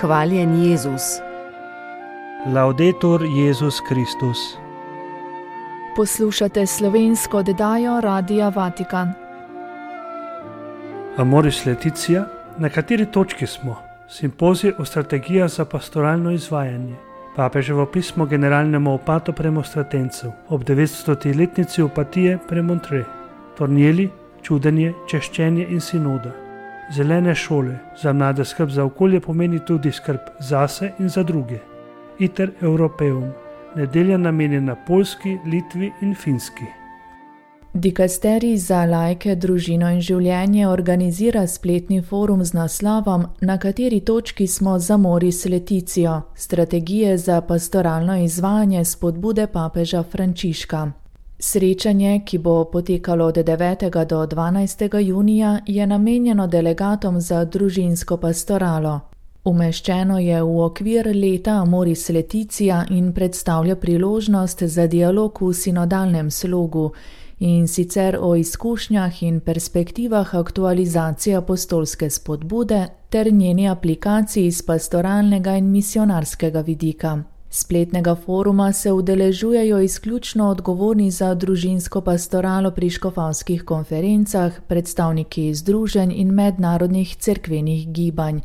Hvaljen Jezus. Laudetur Jezus Kristus. Poslušate slovensko oddajo Radia Vatikan. Amoris Laetitia, na kateri točki smo? Simpozij o strategijah za pastoralno izvajanje. Papeževo pismo generalnemu opatu premonstratencev ob 900-letnici opatije Premontre. Tornieli, čudenje, češčenje in sinoda. Zelene šole, za mlade skrb za okolje pomeni tudi skrb zase in za druge. Iter Europeum, nedelja namenjena Poljski, Litvi in Finski. Dikasterij za laike, družino in življenje organizira spletni forum z naslovom Na kateri točki smo z Amoris Laetitio, strategije za pastoralno izvajanje spodbude papeža Frančiška. Srečanje, ki bo potekalo od 9. do 12. junija, je namenjeno delegatom za družinsko pastoralo. Umeščeno je v okvir leta Amoris Laetitia in predstavlja priložnost za dialog v sinodalnem slogu, in sicer o izkušnjah in perspektivah aktualizacije apostolske spodbude ter njeni aplikaciji iz pastoralnega in misionarskega vidika. Spletnega foruma se udeležujejo izključno odgovorni za družinsko pastoralo pri škofovskih konferencah, predstavniki združenj in mednarodnih cerkvenih gibanj.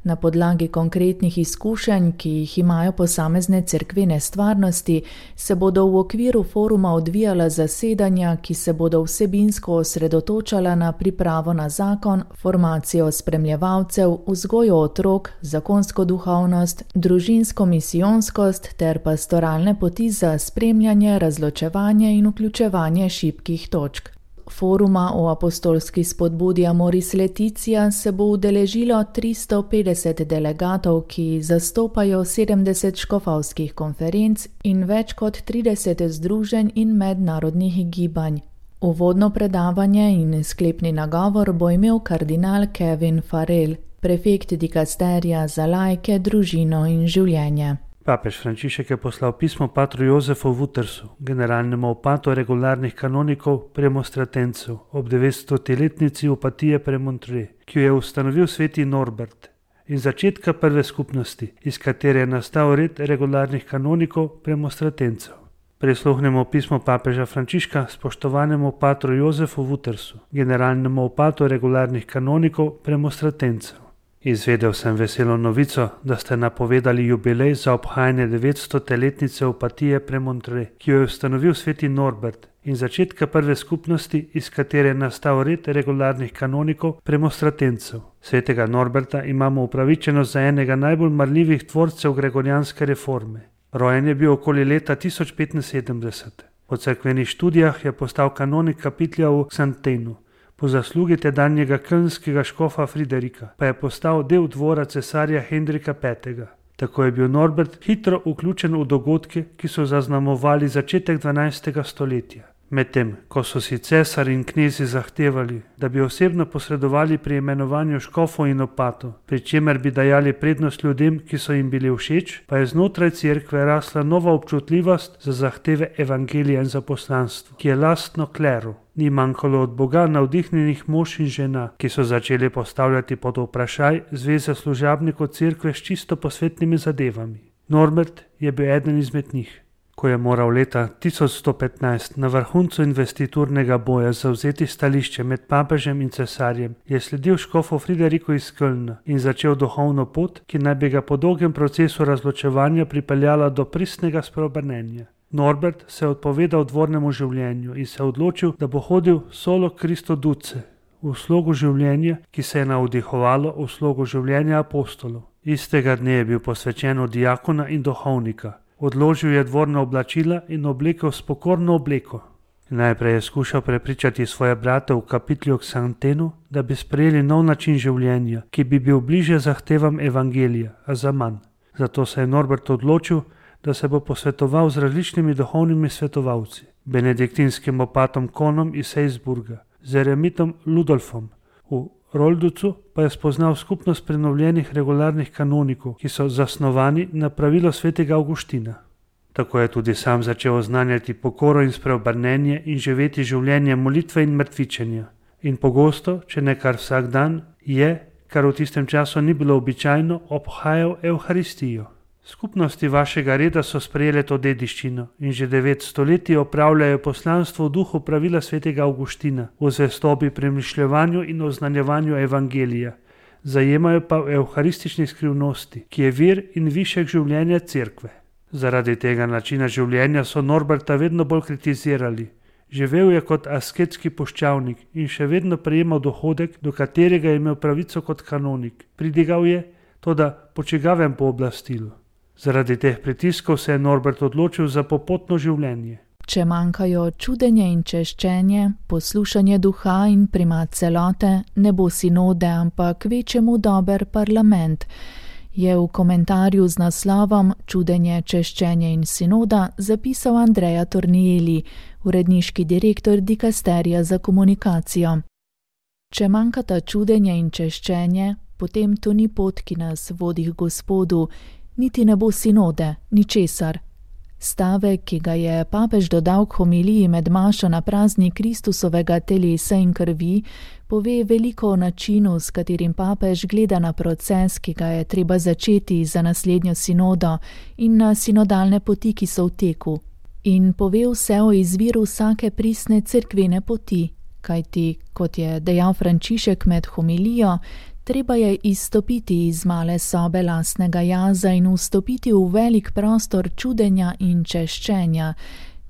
Na podlagi konkretnih izkušenj, ki jih imajo posamezne cerkvene stvarnosti, se bodo v okviru foruma odvijala zasedanja, ki se bodo vsebinsko osredotočala na pripravo na zakon, formacijo spremljevalcev, vzgojo otrok, zakonsko duhovnost, družinsko misijonskost ter pastoralne poti za spremljanje, razločevanje in vključevanje šibkih točk. Foruma o apostolski spodbudi Amoris Laetitia se bo udeležilo 350 delegatov, ki zastopajo 70 škofovskih konferenc in več kot 30 združenj in mednarodnih gibanj. Uvodno predavanje in sklepni nagovor bo imel kardinal Kevin Farrell, prefekt dikasterija za laike, družino in življenje. Papež Frančišek je poslal pismo patru Jozefu Wutersu, generalnemu opatu regularnih kanonikov premonstratencev ob 900-letnici opatije Premontre, ki jo je ustanovil sveti Norbert, in začetka prve skupnosti, iz katere je nastal red regularnih kanonikov premonstratencev. Prisluhnemo pismo papeža Frančiška spoštovanemu patru Jozefu Wutersu, generalnemu opatu regularnih kanonikov premonstratencev. Izvedel sem veselo novico, da ste napovedali jubilej za obhajanje 900-letnice opatije Premontre, ki jo je ustanovil sveti Norbert, in začetka prve skupnosti, iz katere je nastal red regularnih kanonikov premonstratencev. Svetega Norberta imamo upravičeno za enega najbolj marljivih tvorcev gregorijanske reforme. Rojen je bil okoli leta 1075. Po cerkvenih študijah je postal kanonik kapitlja v Xantenu. Po zaslugi tedanjega kölnskega škofa Friderika pa je postal del dvora cesarja Henrika V. Tako je bil Norbert hitro vključen v dogodke, ki so zaznamovali začetek 12. stoletja. Medtem, ko so si cesar in knezi zahtevali, da bi osebno posredovali pri imenovanju škofov in opatov, pri čemer bi dajali prednost ljudem, ki so jim bili všeč, pa je znotraj cerkve rasla nova občutljivost za zahteve evangelija in za poslanstvo, ki je lastno kleru. Ni manjkalo od Boga navdihnjenih mož in žena, ki so začeli postavljati pod vprašaj zveze služabnikov cerkve s čisto posvetnimi zadevami. Norbert je bil eden izmed njih. Ko je moral leta 1115 na vrhuncu investiturnega boja zavzeti stališče med papežem in cesarjem, je sledil škofu Frideriku iz Kölna in začel duhovno pot, ki naj bi ga po dolgem procesu razločevanja pripeljala do pristnega spreobrnenja. Norbert se je odpovedal dvornemu življenju in se odločil, da bo hodil solo Christo duce, v slogu življenja, ki se je navdihovalo v slogu življenja apostolov. Istega dne je bil posvečen od diakona in duhovnika. Odložil je dvorna oblačila in oblekel s pokorno obleko. Najprej je skušal prepričati svoje brate v kapitlju Xantenu, da bi sprejeli nov način življenja, ki bi bil bliže zahtevam evangelija, a za manj. Zato se je Norbert odločil, da se bo posvetoval z različnimi duhovnimi svetovalci, benediktinskim opatom Konom iz Salzburga, z eremitom Ludolfom. V Rolducu pa je spoznal skupnost prenovljenih regularnih kanonikov, ki so zasnovani na pravilo svetega Avguština. Tako je tudi sam začel oznanjati pokoro in spreobrnenje in živeti življenje molitve in mrtvičenja. In pogosto, če ne kar vsak dan, je, kar v tistem času ni bilo običajno, obhajal Evharistijo. Skupnosti vašega reda so sprejele to dediščino in že 9 stoletij opravljajo poslanstvo v duhu pravila svetega Avguština, v zvestobi premišljevanju in oznanjevanju evangelija. Zajemajo pa v evharistični skrivnosti, ki je vir in višek življenja cerkve. Zaradi tega načina življenja so Norberta vedno bolj kritizirali. Živel je kot asketski puščavnik in še vedno prejemal dohodek, do katerega je imel pravico kot kanonik. Pridigal je, toda po čigavem pooblastilu. Zaradi teh pritiskov se je Norbert odločil za popotno življenje. Če manjkajo čudenje in češčenje, poslušanje duha in primat celote, ne bo sinode, ampak kvečjemu dober parlament, je v komentarju z naslovom Čudenje, češčenje in sinoda zapisal Andrea Tornieli, uredniški direktor dikasterija za komunikacijo. Če manjkata čudenje in češčenje, potem to ni pot, ki nas vodi k Gospodu, niti ne bo sinode, ničesar. Stavek, ki ga je papež dodal k homiliji med mašo na praznik Kristusovega telesa in krvi, pove veliko o načinu, s katerim papež gleda na proces, ki ga je treba začeti za naslednjo sinodo in na sinodalne poti, ki so v teku. In pove vse o izviru vsake pristne cerkvene poti, kajti, kot je dejal Frančišek med homilijo, treba je izstopiti iz male sobe lastnega jaza in vstopiti v velik prostor čudenja in češčenja.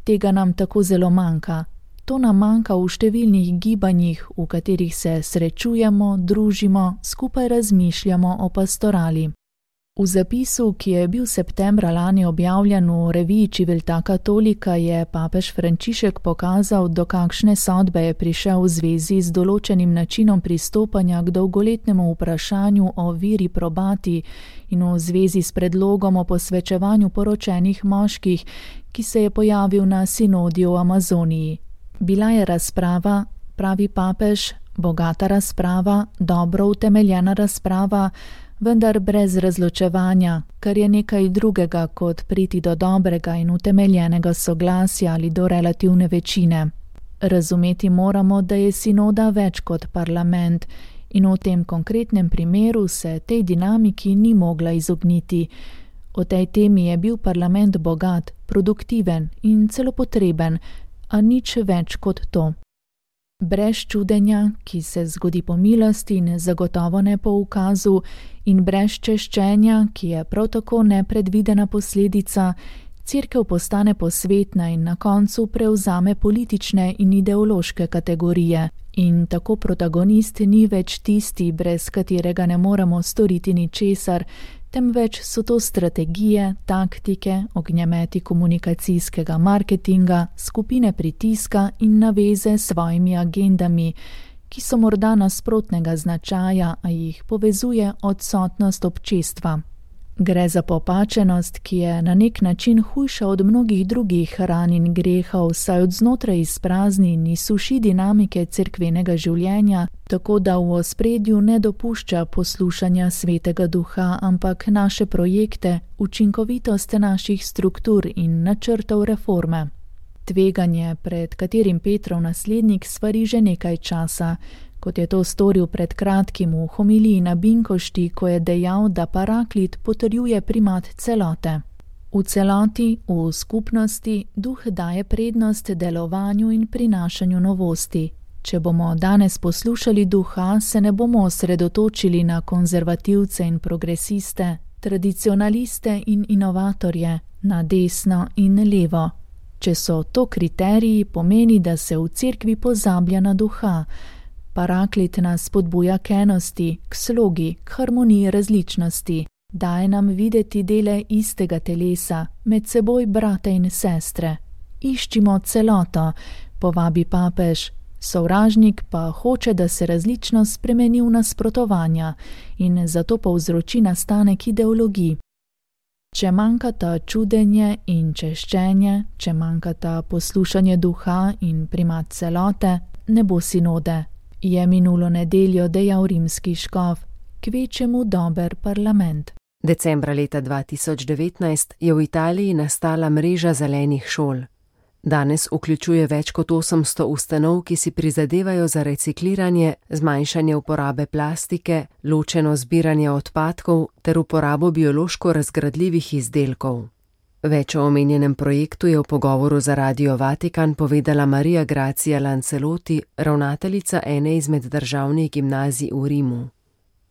Tega nam tako zelo manjka. To nam manjka v številnih gibanjih, v katerih se srečujemo, družimo, skupaj razmišljamo o pastorali. V zapisu, ki je bil septembra lani objavljen v reviji Civiltà Cattolica, je papež Frančišek pokazal, do kakšne sodbe je prišel v zvezi z določenim načinom pristopanja k dolgoletnemu vprašanju o viri probati in v zvezi s predlogom o posvečevanju poročenih moških, ki se je pojavil na sinodi v Amazoniji. Bila je razprava, pravi papež, bogata razprava, dobro utemeljena razprava, vendar brez razločevanja, kar je nekaj drugega kot priti do dobrega in utemeljenega soglasja ali do relativne večine. Razumeti moramo, da je sinoda več kot parlament in v tem konkretnem primeru se tej dinamiki ni mogla izogniti. O tej temi je bil parlament bogat, produktiven in celo potreben, a nič več kot to. Brez čudenja, ki se zgodi po milosti in zagotovo ne po ukazu, in brez češčenja, ki je prav tako nepredvidena posledica, cerkev postane posvetna in na koncu prevzame politične in ideološke kategorije. In tako protagonist ni več tisti, brez katerega ne moremo storiti ničesar, temveč so to strategije, taktike, ognjemeti komunikacijskega marketinga, skupine pritiska in naveze s svojimi agendami, ki so morda nasprotnega značaja, a jih povezuje odsotnost občestva. Gre za popačenost, ki je na nek način hujša od mnogih drugih ran in grehov, saj od znotraj izprazni in izsuši dinamike cerkvenega življenja, tako da v ospredju ne dopušča poslušanja svetega duha, ampak naše projekte, učinkovitost naših struktur in načrtov reforme. Tveganje, pred katerim Petrov naslednik svari že nekaj časa, kot je to storil pred kratkim v homiliji na Binkošti, ko je dejal, da Paraklit potrjuje primat celote. V celoti, v skupnosti, duh daje prednost delovanju in prinašanju novosti. Če bomo danes poslušali duha, se ne bomo osredotočili na konzervativce in progresiste, tradicionaliste in inovatorje, na desno in levo. Če so to kriteriji, pomeni, da se v cerkvi pozablja na duha. Paraklit nas spodbuja k enosti, k slogi, k harmoniji različnosti, daje nam videti dele istega telesa, med seboj brate in sestre. Iščimo celoto, povabi papež, sovražnik pa hoče, da se različnost spremeni v nasprotovanja in zato povzroči nastanek ideologij. Če manjkata čudenje in češčenje, če manjkata poslušanje duha in primat celote, ne bo sinode. Je minulo nedeljo dejal rimski škof, kvečjemu dober parlament. Decembra leta 2019 je v Italiji nastala mreža zelenih šol. Danes vključuje več kot 800 ustanov, ki si prizadevajo za recikliranje, zmanjšanje uporabe plastike, ločeno zbiranje odpadkov ter uporabo biološko razgradljivih izdelkov. Več o omenjenem projektu je v pogovoru za Radio Vatikan povedala Maria Grazia Lancelotti, ravnateljica ene izmed državnih gimnazij v Rimu.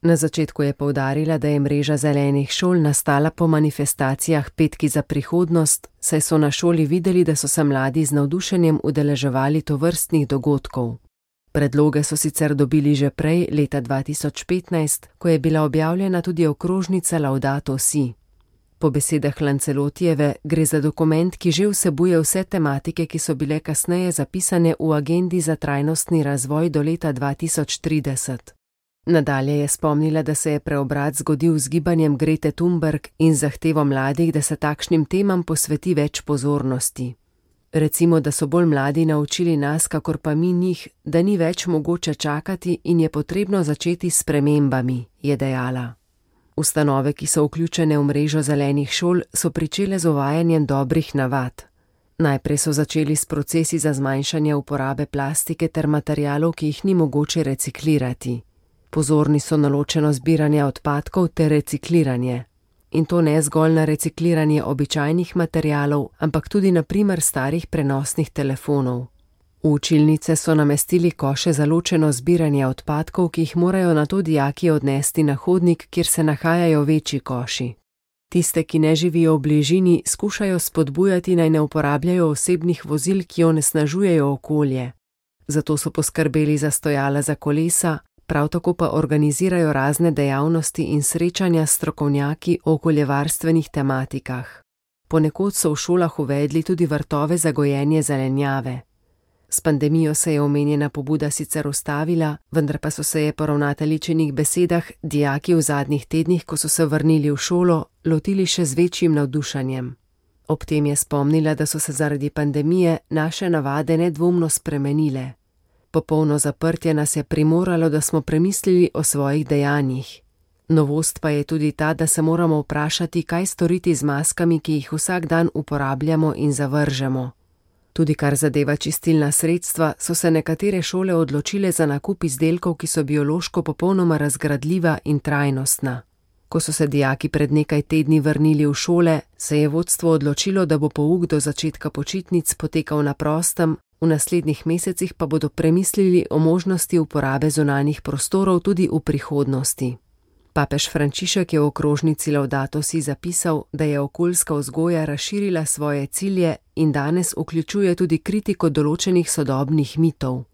Na začetku je poudarila, da je mreža zelenih šol nastala po manifestacijah Petki za prihodnost, saj so na šoli videli, da so se mladi z navdušenjem udeleževali tovrstnih dogodkov. Predloge so sicer dobili že prej, leta 2015, ko je bila objavljena tudi okrožnica Laudato Si. Po besedah Lancelottijeve gre za dokument, ki že vsebuje vse tematike, ki so bile kasneje zapisane v agendi za trajnostni razvoj do leta 2030. Nadalje je spomnila, da se je preobrat zgodil z gibanjem Grete Thunberg in zahtevo mladih, da se takšnim temam posveti več pozornosti. Recimo, da so bolj mladi naučili nas, kakor pa mi njih, da ni več mogoče čakati in je potrebno začeti s spremembami, je dejala. Ustanove, ki so vključene v mrežo zelenih šol, so pričele z uvajanjem dobrih navad. Najprej so začeli s procesi za zmanjšanje uporabe plastike ter materialov, ki jih ni mogoče reciklirati. Pozorni so na ločeno zbiranje odpadkov ter recikliranje. In to ne zgolj na recikliranje običajnih materialov, ampak tudi na primer starih prenosnih telefonov. V učilnice so namestili koše za ločeno zbiranje odpadkov, ki jih morajo nato dijaki odnesti na hodnik, kjer se nahajajo večji koši. Tiste, ki ne živijo v bližini, skušajo spodbujati, naj ne uporabljajo osebnih vozil, ki onesnažujejo okolje. Zato so poskrbeli za stojala za kolesa, prav tako pa organizirajo razne dejavnosti in srečanja s strokovnjaki o okoljevarstvenih tematikah. Ponekod so v šolah uvedli tudi vrtove za gojenje zelenjave. S pandemijo se je omenjena pobuda sicer ustavila, vendar pa so se je po ravnateljičinih besedah dijaki v zadnjih tednih, ko so se vrnili v šolo, lotili še z večjim navdušanjem. Ob tem je spomnila, da so se zaradi pandemije naše navade nedvomno spremenile. Popolno zaprtje nas je primoralo, da smo premislili o svojih dejanjih. Novost pa je tudi ta, da se moramo vprašati, kaj storiti z maskami, ki jih vsak dan uporabljamo in zavržemo. Tudi kar zadeva čistilna sredstva, so se nekatere šole odločile za nakup izdelkov, ki so biološko popolnoma razgradljiva in trajnostna. Ko so se dijaki pred nekaj tedni vrnili v šole, se je vodstvo odločilo, da bo pouk do začetka počitnic potekal na prostem, v naslednjih mesecih pa bodo premislili o možnosti uporabe zunanjih prostorov tudi v prihodnosti. Papež Frančišek je v okrožnici Laudato Si zapisal, da je okoljska vzgoja razširila svoje cilje in danes vključuje tudi kritiko določenih sodobnih mitov.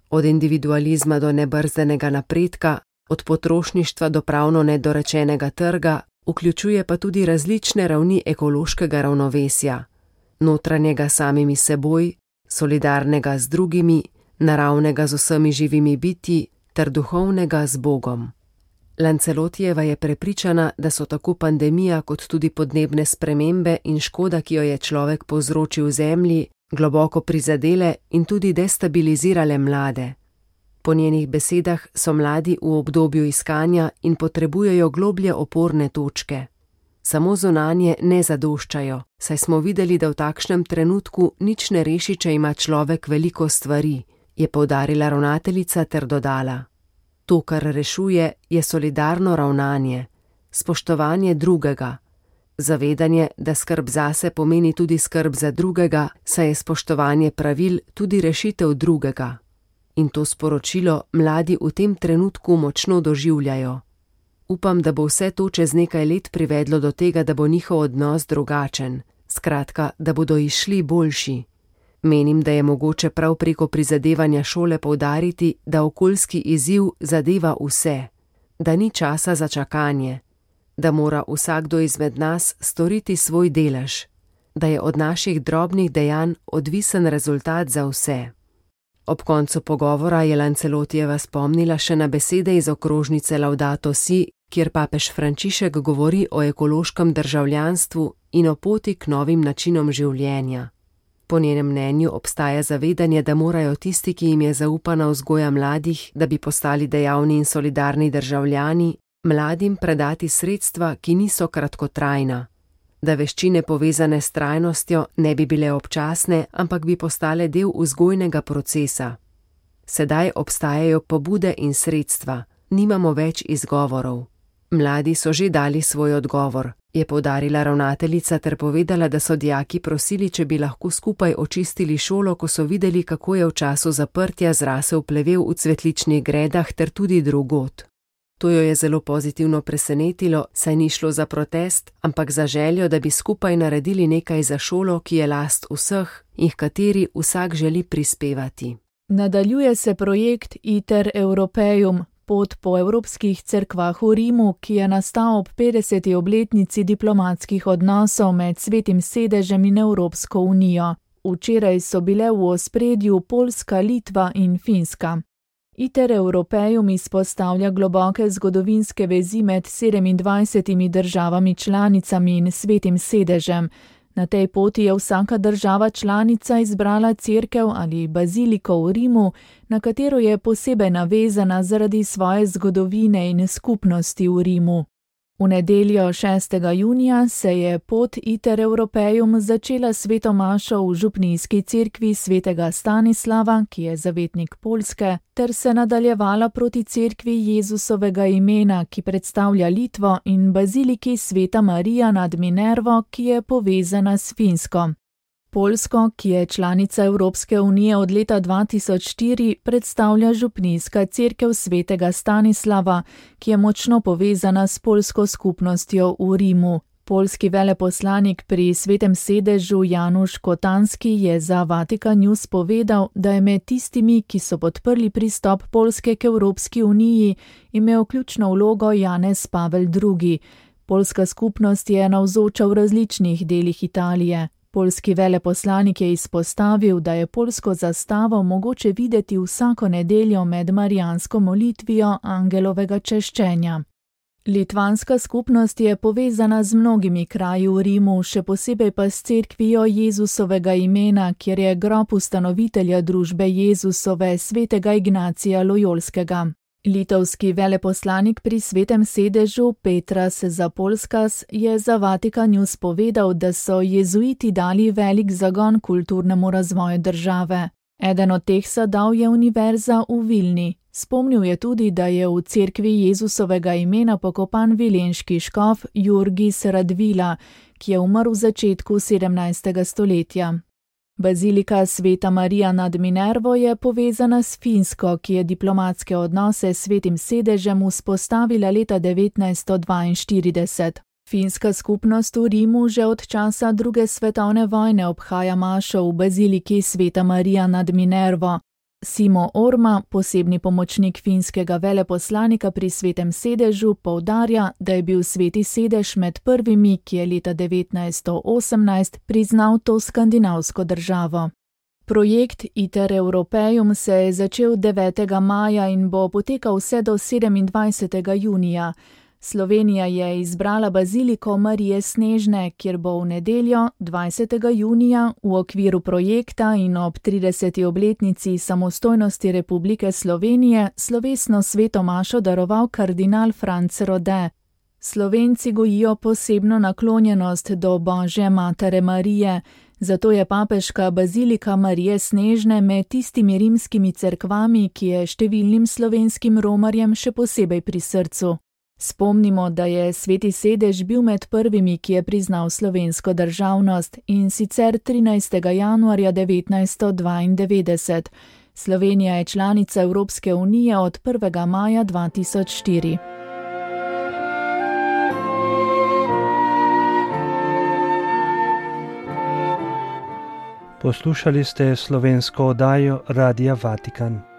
Od individualizma do nebrzdanega napredka, od potrošništva do pravno nedorečenega trga, vključuje pa tudi različne ravni ekološkega ravnovesja, notranjega samimi seboj, solidarnega z drugimi, naravnega z vsemi živimi bitji ter duhovnega z Bogom. Lancelottijeva je prepričana, da so tako pandemija kot tudi podnebne spremembe in škoda, ki jo je človek povzročil zemlji, globoko prizadele in tudi destabilizirale mlade. Po njenih besedah so mladi v obdobju iskanja in potrebujejo globlje oporne točke. Samo zunanje ne zadoščajo, saj smo videli, da v takšnem trenutku nič ne reši, če ima človek veliko stvari, je poudarila ravnateljica ter dodala. To, kar rešuje, je solidarno ravnanje, spoštovanje drugega, zavedanje, da skrb zase pomeni tudi skrb za drugega, saj je spoštovanje pravil tudi rešitev drugega. In to sporočilo mladi v tem trenutku močno doživljajo. Upam, da bo vse to čez nekaj let privedlo do tega, da bo njihov odnos drugačen, skratka, da bodo izšli boljši. Menim, da je mogoče prav preko prizadevanja šole poudariti, da okoljski izziv zadeva vse, da ni časa za čakanje, da mora vsakdo izmed nas storiti svoj delež, da je od naših drobnih dejanj odvisen rezultat za vse. Ob koncu pogovora je Lancelottijeva spomnila še na besede iz okrožnice Laudato Si, kjer papež Frančišek govori o ekološkem državljanstvu in o poti k novim načinom življenja. Po njenem mnenju obstaja zavedanje, da morajo tisti, ki jim je zaupana vzgoja mladih, da bi postali dejavni in solidarni državljani, mladim predati sredstva, ki niso kratkotrajna. da veščine povezane s trajnostjo ne bi bile občasne, ampak bi postale del vzgojnega procesa. Sedaj obstajajo pobude in sredstva, nimamo več izgovorov. Mladi so že dali svoj odgovor, je poudarila ravnateljica ter povedala, da so dijaki prosili, če bi lahko skupaj očistili šolo, ko so videli, kako je v času zaprtja zrasel plevel v cvetličnih gredah ter tudi drugod. To jo je zelo pozitivno presenetilo, saj ni šlo za protest, ampak za željo, da bi skupaj naredili nekaj za šolo, ki je last vseh in h kateri vsak želi prispevati. Nadaljuje se projekt Iter Europeum, pot po evropskih cerkvah v Rimu, ki je nastal ob 50. obletnici diplomatskih odnosov med Svetim sedežem in Evropsko unijo. Včeraj so bile v ospredju Poljska, Litva in Finska. Iter Europeum izpostavlja globoke zgodovinske vezi med 27 državami članicami in Svetim sedežem. Na tej poti je vsaka država članica izbrala cerkev ali baziliko v Rimu, na katero je posebej navezana zaradi svoje zgodovine in skupnosti v Rimu. V nedeljo 6. junija se je pot Iter Europeum začela sveto mašo v župnijski cerkvi svetega Stanislava, ki je zavetnik Poljske, ter se nadaljevala proti cerkvi Jezusovega imena, ki predstavlja Litvo, in baziliki sveta Marija nad Minervo, ki je povezana s Finsko. Poljsko, ki je članica Evropske unije od leta 2004, predstavlja župnijska cerkev svetega Stanislava, ki je močno povezana s poljsko skupnostjo v Rimu. Poljski veleposlanik pri Svetem sedežu Janusz Kotanski je za Vatikan News povedal, da je med tistimi, ki so podprli pristop Poljske k Evropski uniji, imel ključno vlogo Janez Pavel II. Poljska skupnost je navzoča v različnih delih Italije. Poljski veleposlanik je izpostavil, da je poljsko zastavo mogoče videti vsako nedeljo med marijansko molitvijo angelovega češčenja. Litvanska skupnost je povezana z mnogimi kraji v Rimu, še posebej pa s cerkvijo Jezusovega imena, kjer je grob ustanovitelja družbe Jezusove svetega Ignacija Lojolskega. Litovski veleposlanik pri Svetem sedežu Petras Zapolskas je za Vatikan News povedal, da so jezuiti dali velik zagon kulturnemu razvoju države. Eden od teh sadov je univerza v Vilni. Spomnil je tudi, da je v cerkvi Jezusovega imena pokopan vilenški škof Jurgis Radvila, ki je umrl v začetku 17. stoletja. Bazilika sveta Marija nad Minervo je povezana s Finsko, ki je diplomatske odnose s Svetim sedežem vzpostavila leta 1942. Finska skupnost v Rimu že od časa druge svetovne vojne obhaja mašo v baziliki sveta Marija nad Minervo. Simo Orma, posebni pomočnik finskega veleposlanika pri Svetem sedežu, poudarja, da je bil Sveti sedež med prvimi, ki je leta 1918 priznal to skandinavsko državo. Projekt Iter Europeum se je začel 9. maja in bo potekal vse do 27. junija. Slovenija je izbrala baziliko Marije Snežne, kjer bo v nedeljo 20. junija v okviru projekta in ob 30. obletnici samostojnosti Republike Slovenije slovesno sveto mašo daroval kardinal Franc Rode. Slovenci gojijo posebno naklonjenost do Božje matere Marije, zato je papeška bazilika Marije Snežne med tistimi rimskimi cerkvami, ki je številnim slovenskim romarjem še posebej pri srcu. Spomnimo, da je Sveti sedež bil med prvimi, ki je priznal slovensko državnost, in sicer 13. januarja 1992. Slovenija je članica Evropske unije od 1. maja 2004. Poslušali ste slovensko oddajo Radia Vatikan.